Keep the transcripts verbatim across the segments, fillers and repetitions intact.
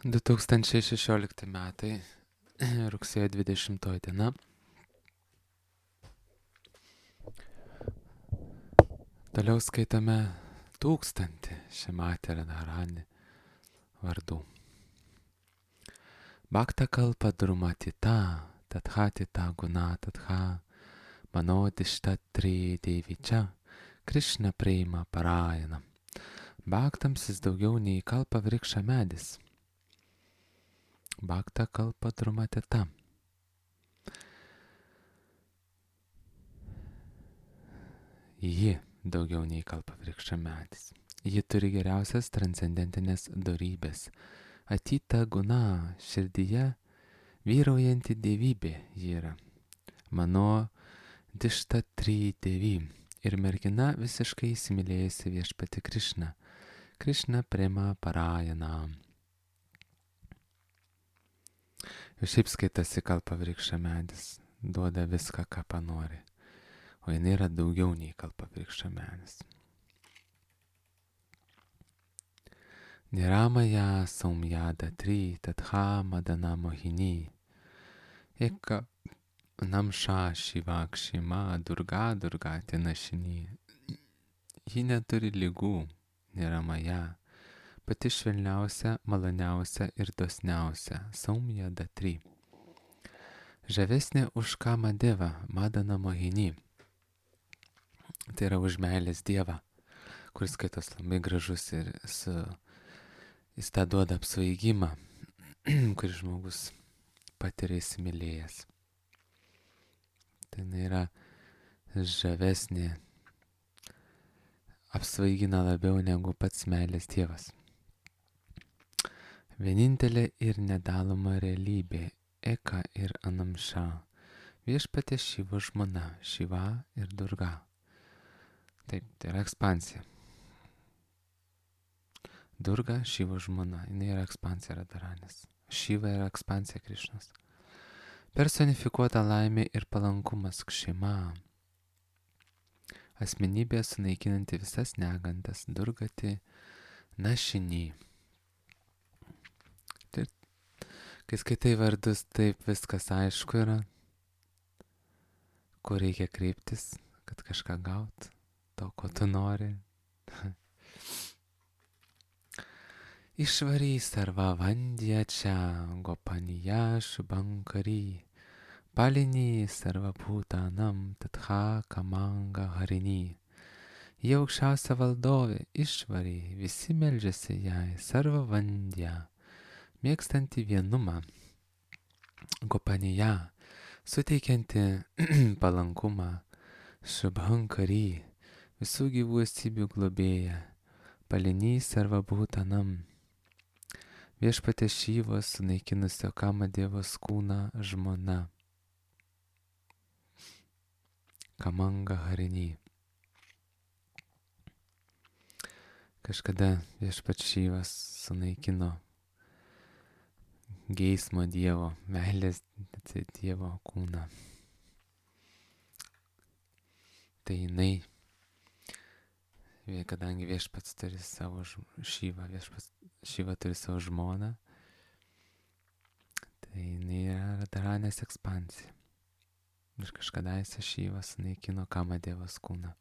du tūkstančiai šešiolikti metai, rugsėjo dvidešimtoji diena. Toliau skaitame tūkstantį Šimatė Radharani vardų. Bhakta kalpa drumatita, tathatita guna tatha, manodishta tri devičia, Krishna preima parajana. Bhaktams jis daugiau nei kalpa vrikša medis. Bhakta kalpa drumatita. Ji daugiau nei kalpa vrikša medis. Ji turi geriausias transcendentinės dorybės. Atita guna, širdyje vyraujanti dievybė ji yra. Mano dišta tri devi. Ir mergina visiškai įsimylėjusi viešpati Krishna. Krishna prema parajana. Jau šiaip skaitasi kalpa vrikša medis. Duoda viską, ką panori. O jinai yra daugiau nei kalpa vrikša medis. Niramaya saumyada tri tatha madana mohini. Eka namša šivakšima durga durgati našini. Ji neturi lygų, niramaya. Pati švelniausia, maloniausia ir dosniausia. Saumyada tri. Žavesnė už Kamadevą, Madana Mohini. Tai yra už meilės dievą, kuris skaitos labai gražus ir su, jis tą duoda apsvaigimą, kurį žmogus patiria įsimylėjęs. Tai yra žavesnė, apsvaigina labiau negu pats meilės dievas. Vienintelė ir nedaloma realybė, Eka ir Anamša, viešpatė Šiva žmona, Šiva ir Durga. Taip, tai yra ekspansija. Durga, Šiva žmona, jinai yra ekspansija Radharanės. Šiva yra ekspansija Krišnos. Personifikuota laimė ir palankumas Kšima. Asmenybė sunaikinanti visas negandas, Durgati Našini. Tai, kai skaitai vardus, taip viskas aišku yra, kur reikia kreiptis, kad kažką gaut. To, ko tu nori. Išvary sarva vandya čia, gopaniya šubankari, palini sarva bhutanam, tatha kamanga harini. Jie aukščiausia valdovė, išvary, visi meldžiasi jai, sarva vandya, mėgstanti vienumą, gopaniya, suteikianti palankumą, šubankari, visų gyvūstybių globėja, palinys sarva bhutanam, viešpatė Šyvos sunaikinusio Kamadevos kūną žmona, Kamanga harini. Kažkada viešpat Šyvas sunaikino geismo dievo, meilės dievo kūną. Tai jinai, kadangi viešpats turi savo Šyvą, viešpats Šyva turi savo žmoną, tai jinai yra Radharanės ekspansija. Ir kažkadaise Šyvas sunaikino Kamadevos kūną.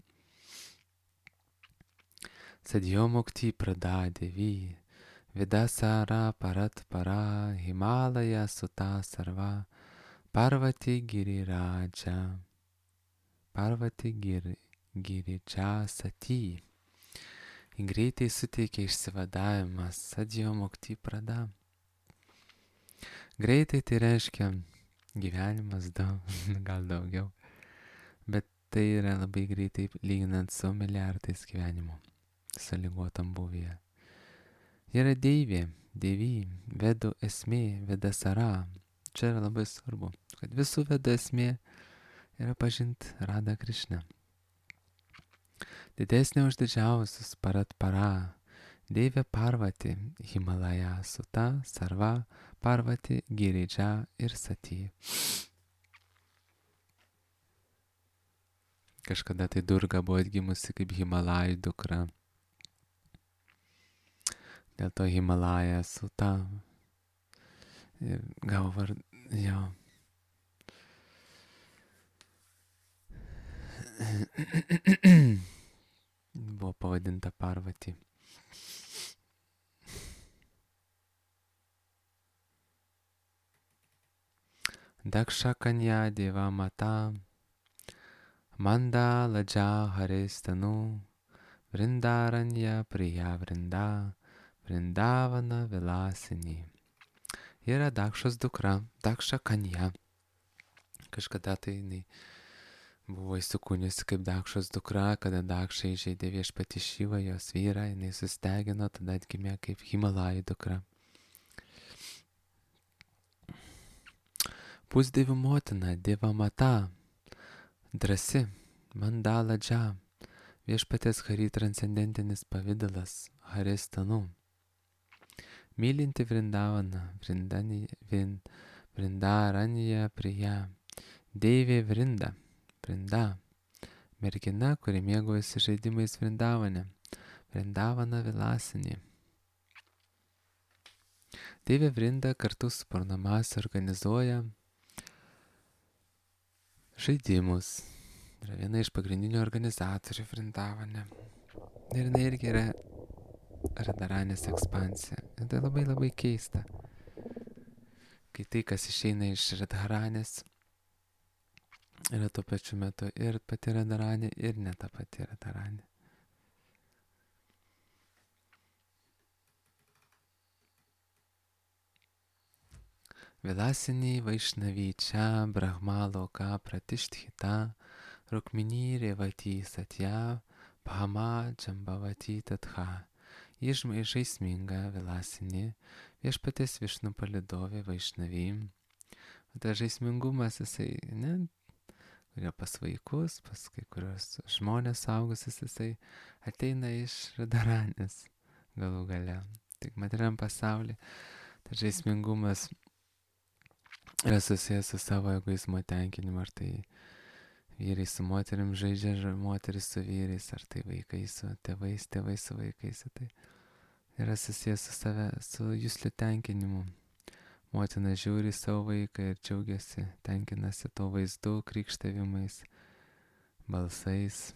Sadjo mukti prada devi, vidasara parat para, Himalaya suta sarva, Parvati giriraja, Parvati gir, giridža sati. Greitai suteikia išsivadavimas, sadjo mukti prada. Greitai tai reiškia gyvenimas daug, gal daugiau, bet tai yra labai greitai lyginant su milijardais gyvenimų, sąlygotam buvyje. Yra deivė, deivy, vedų esmė, vedasara. Čia yra labai svarbu, kad visų vedų esmė yra pažint Radha Krishna. Didesnė už didžiausius parat para, Deivė Parvati, Himalaya suta, sarva, Parvati, giridža ir sati. Kažkada tai Durga buvo atgimusi kaip Himalajų dukra. Dėl to Himalaja suta, Ir gavo vardą, jo. Buvo pavadinta Parvati. Daksha Kanya Deva Mata Manda Laja Haristanu Vrindaranya Priya Vrinda Vrindavana Vilasini. Yra Dakšos dukra, Daksha Kanya. Kažkada tai jinai buvo įsikūniusi kaip Dakšos dukra, kada Dakša įžeidė viešpatį Šivą, jos vyrą, jinai sustegino, tada atgimė kaip Himalajų dukra. Pusdievių motina, Deva Mata, drąsi, Mandala Dža, viešpatės Hari transcendentinis pavidalas, Haristanu, mylinti Vrindavaną, Vrin, Vrindaranija Priya, Deivė Vrinda, Vrinda, mergina, kuri mėgaujasi žaidimais Vrindavane, Vrindavana Vilasinė. Deivė Vrinda kartu su Purnamasi organizuoja žaidimus. Yra viena iš pagrindinių organizatorių Vrindavane. Ir jinai irgi yra Radharanės ekspansija. Ir tai labai labai keista. Kai tai, kas išeina iš Radharanės, yra tuo pačiu metu ir pati Radharanė, ir ne ta pati Radharanė. Vilasini Vaišnavy čia Brahmaloka Pratishtita Rukmini Revati Satya Bhama Džambavati Tatha. Ji žaisminga Vilasini, viešpatės Višnu palidovė Vaišnavy. Tas žaismingumas, jisai, ne, kurie pas vaikus, pas kai kurios žmonės augusis, jisai ateina iš Radharanės galų gale. Tik materialiam pasaulyje tas žaismingumas yra susijęs su savo egoizmo tenkinimu, ar tai vyrai su moterim žaidžia, moteris su vyrais, ar tai vaikai su tėvais, tėvai su vaikais. Tai yra susijęs su save, su juslių tenkinimu. Motina žiūri savo vaiką ir džiaugiasi, tenkinasi to vaizdu, krikštavimais, balsais.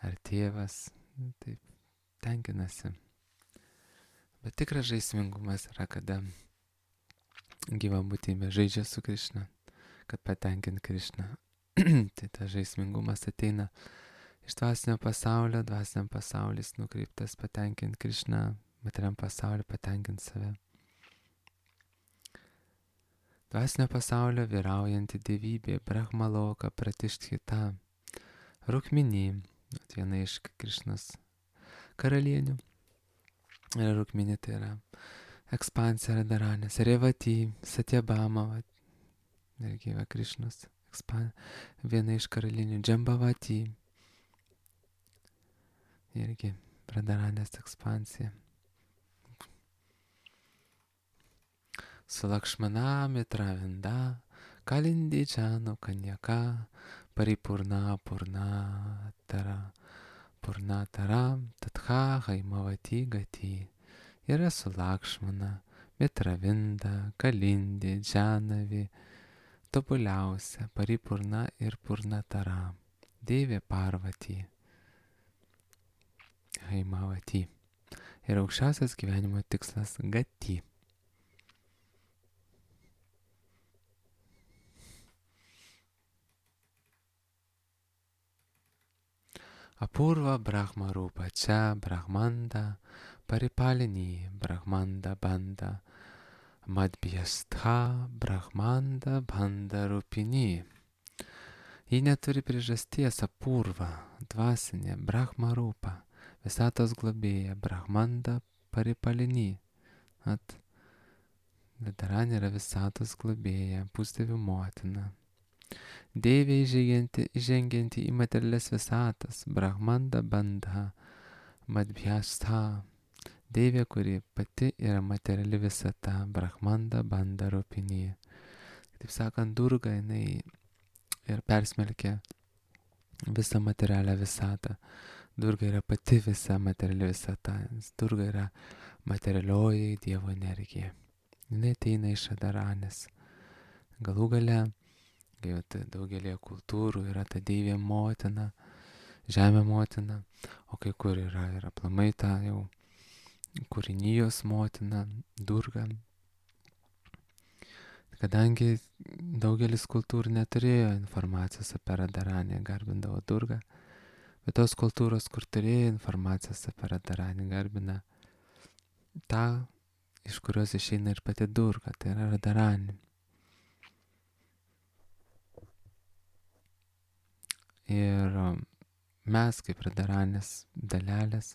Ar tėvas, taip, tenkinasi. Bet tikras žaismingumas yra, kada gyva būtybė žaidžia su Krišna, kad patenkint Krišną. Tai tas žaismingumas ateina iš dvasinio pasaulio, dvasiniam pasaulis nukreiptas patenkint Krišną, materiam pasauliu patenkint save. Dvasinio pasaulio vyraujanti dievybė, Brahmaloka Pratishtita, Rukmini, viena iš Krišnos karalienių. Ir Rukmini tai yra ekspansija Radharanės, Revati, Satyabhama, irgi va Krišnos ekspansija, viena iš karalienių, Džambavati, irgi Radharanės ekspansija. Su Lakšmana Mitra Vinda, Kalindi Džano Kanyaka, Paripurna Purna Tara, Purna Tara, Tatha Haimavati Gati. Yra su Lakšmana, Mitravinda, Kalindi, Džanavi, tobuliausia, Paripurna ir Purnatara, Deivė Parvati, Haimavati. Ir aukščiausias gyvenimo tikslas Gati. Apurva Brahma Rupa čia Brahmanda, Paripalini Brahmanda Banda, Madbhyastha Brahmanda Banda Rupini. Ji neturi priežasties, Apurva, dvasinė, Brahma Rupa, visatos globėja, Brahmanda Paripalini. At Radharanė yra visatos globėja, pusdievių motina. Deivė įžengianti, įžengianti į materialias visatas, Brahmanda Bandha, Madbhyastha. Deivė, kuri pati yra materiali visata, Brahmanda Banda Rupini. Taip sakant, Durga, jinai ir persmelkia visą materialią visatą. Durga yra pati visa materiali visata. Durga yra materialioji Dievo energija. jinai ateina iš Radaranės. Galų gale, kai daugelį kultūrų yra ta Deivė motina, Žemė motina, o kai kur yra ir aplamai ta jau kūrinijos motina, Durga. Kadangi daugelis kultūrų neturėjo informacijos apie Radaranę, garbindavo Durgą, bet tos kultūros, kur turėjo informacijos apie Radaranę, garbina tą, iš kurios išeina ir pati Durga, tai yra Radaranė. Ir mes kaip Radaranės dalelės,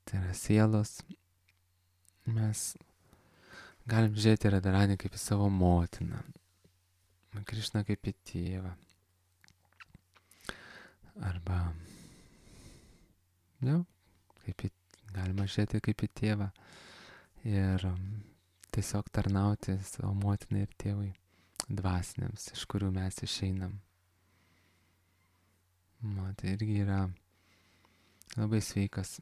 tai yra sielos, mes galim žiūrėti Radaranę kaip į savo motiną, Krišną kaip į tėvą. Arba, jau, kaip į, galima žiūrėti kaip į tėvą ir tiesiog tarnauti savo motinai ir tėvui dvasiniams, iš kurių mes išeinam. Man tai irgi yra labai sveikas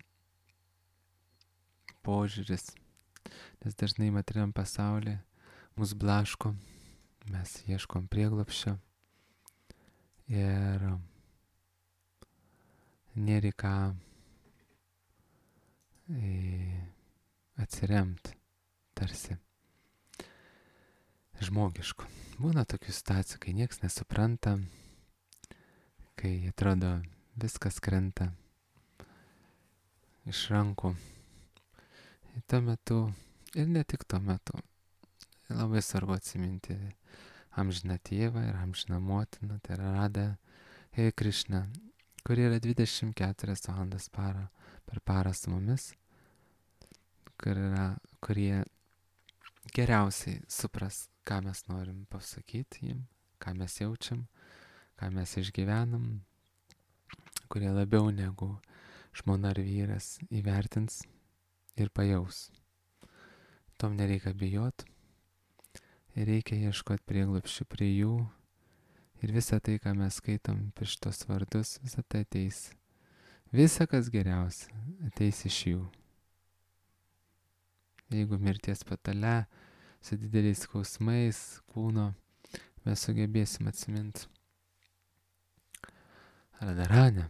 požiūris, nes dažnai materialiam pasaulyje mus blaško, mes ieškom prieglobsčio ir nėra ką atsiremt tarsi žmogišku. Būna tokių situacijų, kai nieks nesupranta, kai atrodo viskas krenta iš rankų. Ir tuo metu, ir ne tik tuo metu, labai svarbu atsiminti amžiną tėvą ir amžiną motiną, tai yra Radha ir Krišna, kuri yra dvidešimt keturias valandas parą, per parą su mumis, kur yra, kurie geriausiai supras, ką mes norim pasakyti jiem, ką mes jaučiam, ką mes išgyvenam, kurie labiau negu žmona ar vyras įvertins ir pajaus. Tom nereikia bijot, reikia ieškoti prieglobsčių prie jų ir visą tai, ką mes skaitom per šitos vardus, visą tai ateis. Visa, kas geriausia, ateis iš jų. Jeigu mirties patale, su dideliais skausmais kūno, mes sugebėsim atsiminti Radaranę,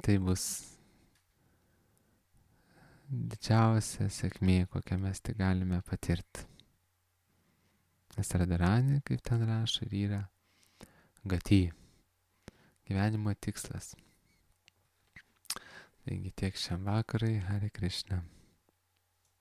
tai bus didžiausia sėkmė, kokią mes tik galime patirti. Nes Radaranė, kaip ten rašo, ir yra gati, gyvenimo tikslas. Taigi tiek šiam vakarai, Hare Krishna.